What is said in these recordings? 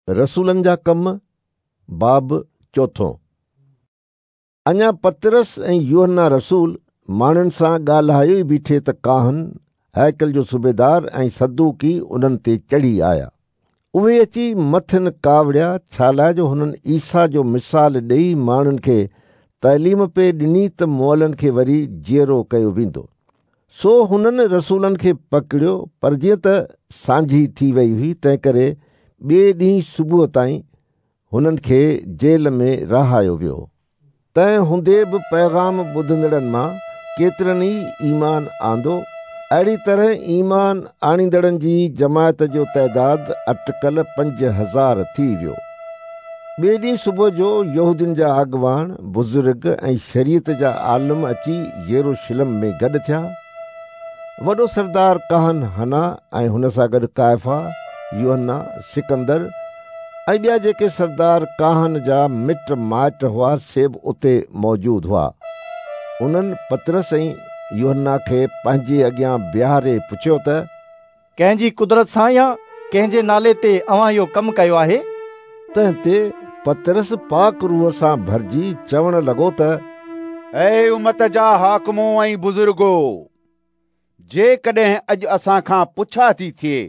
رسولن جا ڪم، باب چوٿون. اڃا پطرس ۽ يوحنا رسول ماڻهن سان ڳالهايو ئي بيٺي ته ڪاهن، هيڪل جو صوبيدار ۽ صدوقي انهن تي چڙهي آيا. اهي اچي مٿن ڪاوڙيا، ڇالاء جو هنن عيسيٰ جو مثال ڏيئي ماڻهن کي تعليم پئي ڏني ته مئلن کي وري جيئرو ڪيو ويندو. سو هنن رسولن کي پڪڙيو، پر جيئن ته سانجهي ٿي وئي هئي، تنهنڪري ٻئي ڏينهن صبح تائين هنن کي جيل ۾ رهايو ويو. تنهن هوندي به پيغام ٻڌندڙن مان ڪيترن ئي ايمان آندو. اهڙي طرح ايمان آڻيندڙن جي جماعت جو تعداد اٽڪل 5000 ٿي ويو. ٻئي ڏينهن صبح جو يهودين جا اڳواڻ، بزرگ ۽ شريعت جا عالم اچي يروشلم ۾ گڏ ٿيا. وڏو سردار ڪاهن حنا ۽ هن سان گڏ ڪائفا، يوحنا، سڪندر ۽ ٻيا جيڪي سردار ڪاهن جا مٽ مائٽ هئا سي به اتي موجود هئا. انهن پطرس ۽ يوحنا کي پنهنجي اڳيان بيهاري پڇيو ته. ڪنهن جي قدرت سان يا ڪنهن جي نالي تي اوهان اهو ڪم ڪيو آهي؟ تنهن تي پطرس پاڪ روح سان ڀرجي چوڻ لڳو ته. اي امت جا حاڪمو ۽ بزرگو! جيڪڏهن اڄ اسان کان پڇا ٿي ٿئي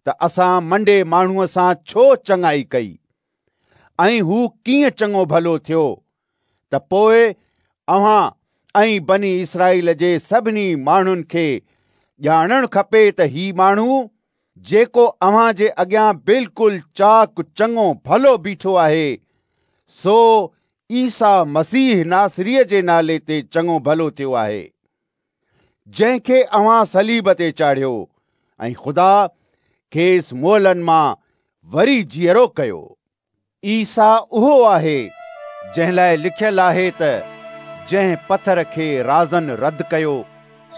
ته اسان منڊي ماڻهوء سان ڇو چڱائي ڪئي ۽ هو ڪيئن چڱو ڀلو ٿيو ته پوء اوهان ۽ بني اسرائيل جي سڀني ماڻهن کي ڄاڻڻ کپي ته هي ماڻهو جيڪو اوهان جي اڳيان بلڪل چاق چڱو ڀلو بيٺو آهي، سو عيسيٰ مسيح ناصريء جي نالي تي چڱو ڀلو ٿيو آهي، جنهن کي اوهان صليب تي چاڙهيو ۽ خدا کيس مئلن مان وري جيئرو ڪيو. عيسيٰ اهو آهي، جنهن لاء لکيل آهي ته جنهن پٿر کي رازن رد ڪيو،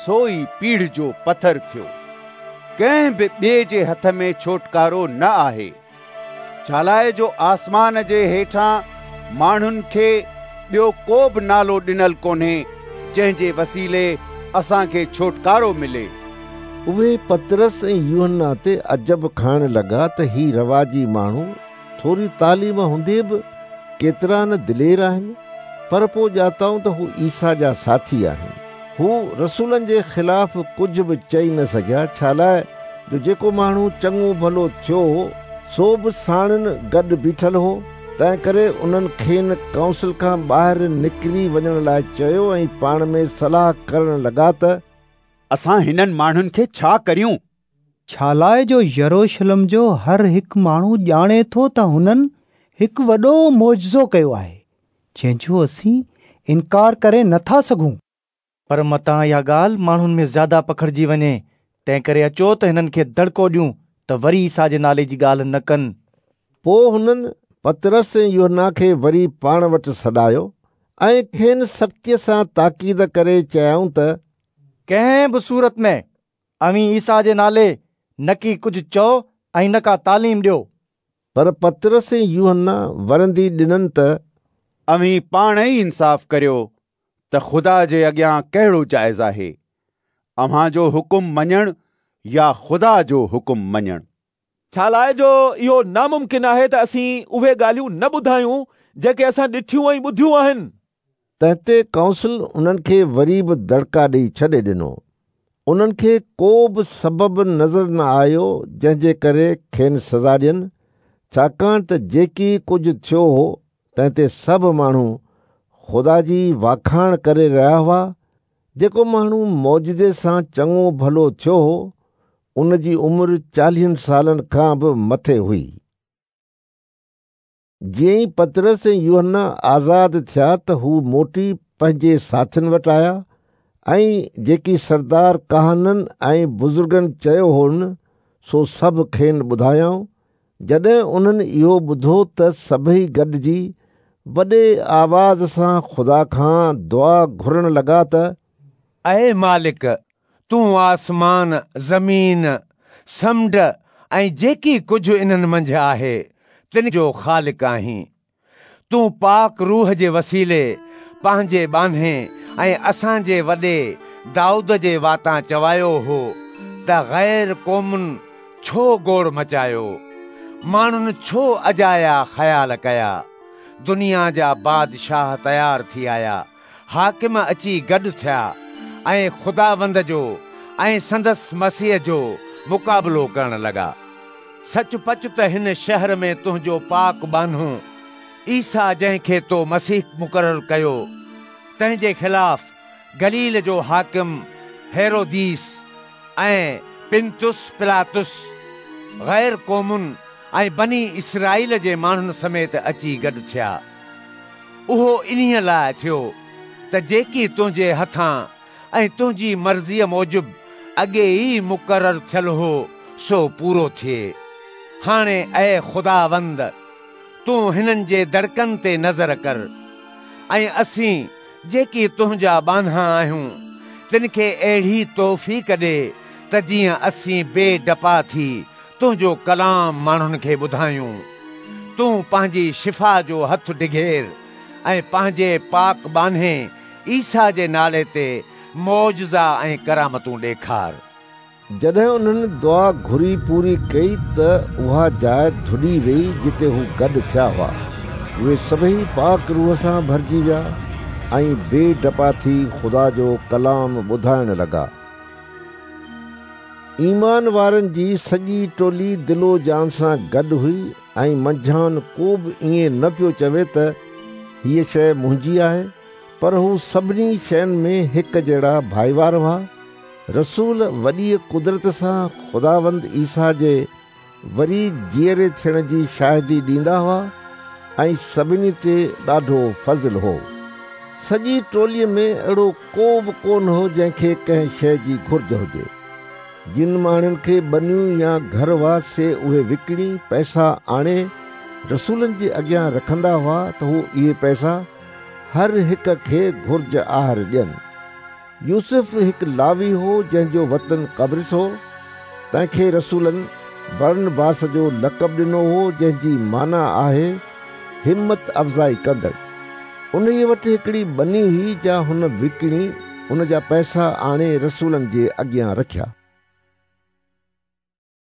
سو ئي پيڙهه جو پٿر ٿيو. ڪنهن به ٻئي جي هٿ ۾ ڇوٽڪارو نه آهي، ڇالاء جو آسمان جي هيٺان ماڻهن کي ٻيو ڪو به نالو ڏنل ڪونهي، جنهن جي وسيلي اسان کي ڇوٽڪارو ملي. اهي پطرس ۽ يوحنا تي عجب کائڻ لڳا ته هي رواجي ماڻهو ٿوري تعليم هوندي به ڪيترا نه دلير آهن، پر پوء ڄاتائون ته هو عيسيٰ جا ساٿي آهن. هو رسولن جي خلاف ڪجهه به چئي نه سگهيا، ڇالاء جو جيڪو ماڻهو چڱو ڀلو ٿيو هو، سو به ساڻن گڏ بيٺل هو. تنهنڪري انهن کين ڪائونسل کان ٻاهر نڪري وڃڻ لاء چيو ۽ پاڻ ۾ صلاح ڪرڻ لڳا ته. اسان هنن ماڻهن کي ڇا ڪريون؟ ڇالاء جو يروشلم جو هر هڪ ماڻهو ڄاڻي ٿو ته هنن هڪ وڏو معجزو ڪيو آهي، جنهن جو اسين انڪار ڪري نه ٿا سگهون. پر متان اها ڳالهه ماڻهن ۾ زياده پکڙجي وڃي، تنهنڪري اچو ته هنن کي دڙڪو ڏيون ته وري عيسيٰ جي نالي جي ڳالهه نه ڪن. پوء هنن پطرس ۽ يوحنا کي وري پاڻ وٽ سڏايو ۽ کين سختيء سان تاڪيد ڪري چيائون ته. ڪنهن به صورت ۾ اوهين عيسيٰ جي نالي نڪي ڪجهه چئو ۽ نه ڪا تعليم ڏيو. پر پطرس ۽ يوحنا ورندي ڏنن ته. اوهين پاڻ ئي انصاف ڪريو ته خدا جي اڳيان ڪهڙو جائز آهي، اوهان جو حڪم مڃڻ يا خدا جو حڪم مڃڻ؟ ڇالاء جو اهو ناممڪن آهي ته اسين اهي ڳالهيون نه ٻڌايون جيڪي اسان ڏٺيون ۽ ٻڌيون آهن. تنهن تي ڪائونسل انهن کي وري به دڙڪا ڏيئي ڇڏي ڏنو. انهن کي ڪو به سبب نظر نه آيو جنهن جي ڪري کين سزا ڏين، ڇاڪاڻ ته جيڪي ڪجهه ٿيو هو تنهن تي سڀ ماڻهو خدا جي واکاڻ ڪري رهيا هئا. جيڪو ماڻهو معجزي سان چڱو ڀلو ٿيو هو، ان جي عمر چاليهن سالن کان به مٿي هئي. جيئن ئي پطرس ۽ يوحنا آزاد ٿيا ته هو موٽي پنهنجي ساٿين وٽ آيا ۽ جيڪي سردار ڪاهنن ۽ بزرگن چيو هون سو سڀ کين ٻڌايائون. جڏهن انهن اهو ٻڌو ته سڀئي گڏجي وڏي آواز سان خدا کان دعا گهرڻ لڳا ته. اي مالڪ، تون آسمان، زمين، سمنڊ ۽ جيڪي ڪجهه انهن منجهه آهي، تن جو خالق آهين. تون پاڪ روح جي وسيلي پنهنجي ٻانهي ۽ اسان جي وڏي دائود جي واتان چوايو هو ته غير قومن ڇو گوڙ مچايو؟ ماڻهن ڇو اجايا خيال ڪيا؟ دنيا جا بادشاهه تيار ٿي آيا، حاڪم اچي گڏ ٿيا ۽ خداوند جو ۽ سندس مسيح جو مقابلو ڪرڻ لڳا. سچ پچ ته هن شهر ۾ تنهنجو پاڪ ٻانهو عيسيٰ جنهن کي تو مسيح مقرر ڪيو، تنهن جي خلاف گليل جو حاڪم هيروديس ۽ پنطس پلاطس غير قومن ۽ بني اسرائيل جي ماڻهن سميت اچي گڏ ٿيا. اهو انهيء لاء ٿيو ته جيڪي تنهنجي هٿان ۽ تنهنجي مرضيء موجب اڳي ئي مقرر ٿيل هو، سو پورو ٿئي. هاڻي اي خداوند، تون هنن جي دڙڪن تي نظر ڪر، ۽ اسين جيڪي تنهنجا ٻانها آهيون، تن کي اهڙي توفيق ڏي ته جيئن اسين بي ڊپا ٿي تنهنجو ڪلام ماڻهن کي ٻڌايون. تون پنهنجي شفا جو هٿ ڊگهير ۽ پنهنجي پاڪ ٻانهي عيسيٰ جي نالي تي معجزا ۽ ڪرامتون ڏيکار. جڏهن انهن دعا گهري پوري ڪئي ته اها جاء ڌڏي ويئي جتي هو گڏ ٿيا هئا. اهي سڀئي پاڪ روح سان ڀرجي ويا ۽ بي ڊپا ٿي خدا جو ڪلام ٻڌائڻ لڳا. ايمان وارن جي سڄي ٽولي دل و جان سان گڏ هئي ۽ منجهائن ڪو به ائين نه پيو چوي ته هيء شيء منهنجي آهي، پر هو سڀني شين ۾ هڪ جهڙا ڀائيوار هئا. رسول وڏيء قدرت سان خداوند عيسيٰ جي وري جيئري ٿيڻ جي شاهدي ڏيندا هئا ۽ سڀني تي ڏاڍو فضل هو. سڄي ٽوليء ۾ اهڙو ڪو به ڪونه هو جنهن کي ڪنهن شيء جي گهرج هجي. جن ماڻهن کي ٻنيون يا گهر هئا سي اهي وڪڻي پئسا آڻي رسولن جي اڳيان رکندا هئا ته هو اهي پئسا هر هڪ کي گهرج آهر ڏين. يوسف هڪ لاوي هو جنهن جو وطن قبرص هو، تنهن کي رسولن برنباس جو لقب ڏنو هو جنهن جي معنيٰ آهي همت افزائي ڪندڙ. انهيء وٽ هڪڙي ٻني هئي جا هن وڪڻي ان جا پئسا آڻي رسولن جي اڳيان رکيا.